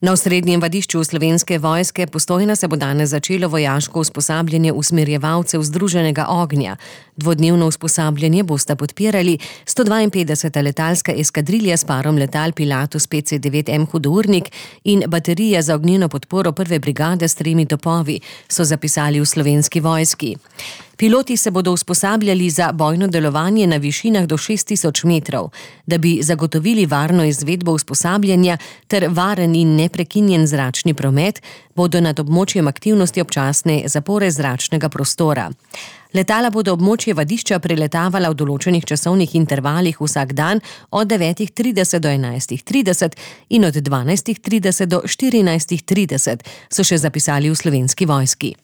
Na osrednjem vadišču Slovenske vojske Postojna se bo danes začelo vojaško usposabljanje usmerjevalcev Združenega ognja. Dvodnevno usposabljanje bosta podpirali 152. letalska eskadrilja s parom letal Pilatus PC-9M Hudournik in baterija za ognjeno podporo prve brigade s 3 topovi, so zapisali v Slovenski vojski. Piloti se bodo usposabljali za bojno delovanje na višinah do 6000 metrov. Da bi zagotovili varno izvedbo usposabljanja ter varen in neprekinjen zračni promet, bodo nad območjem aktivnosti občasne zapore zračnega prostora. Letala bodo območje vadišča preletavala v določenih časovnih intervalih vsak dan od 9:30 do 11:30 in od 12:30 do 14:30, so še zapisali v Slovenski vojski.